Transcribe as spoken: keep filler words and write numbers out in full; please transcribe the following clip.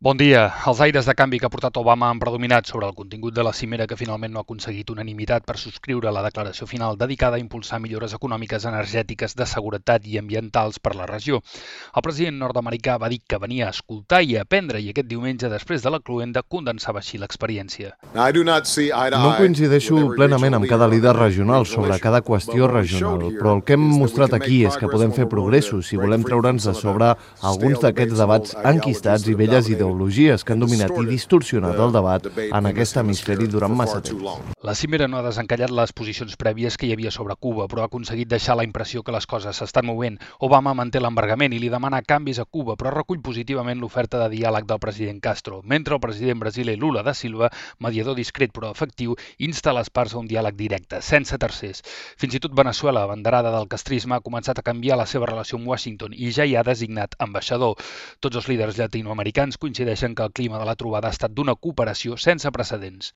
Bon dia. Els aires de canvi que ha portat Obama han predominat sobre el contingut de la cimera que finalment no ha aconseguit unanimitat per subscriure la declaració final dedicada a impulsar millores econòmiques, energètiques, de seguretat i ambientals per la regió. El president nord-americà va dir que venia a escoltar i a aprendre i aquest diumenge, després de la cluenda, condensava així l'experiència. No coincideixo plenament amb cada líder regional sobre cada qüestió regional, però el que hem mostrat aquí és que podem fer progressos si volem treure'ns de sobre alguns d'aquests debats enquistats i velles ideologies ideologies que han dominat i distorsionat el debat en aquest hemisferi durant massa temps. La cimera no ha desencallat les posicions prèvies que hi havia sobre Cuba, però ha aconseguit deixar la impressió que les coses s'estan movent. Obama manté l'embargament i li demana canvis a Cuba, però recull positivament l'oferta de diàleg del president Castro, mentre el president brasiler Lula da Silva, mediador discret però efectiu, insta les parts a un diàleg directe, sense tercers. Fins i tot Veneçuela, abanderada del castrisme, ha començat a canviar la seva relació amb Washington i ja hi ha designat ambaixador. Tots els líders llatinoamericans coincideixen que el clima de la trobada ha estat d'una cooperació sense precedents.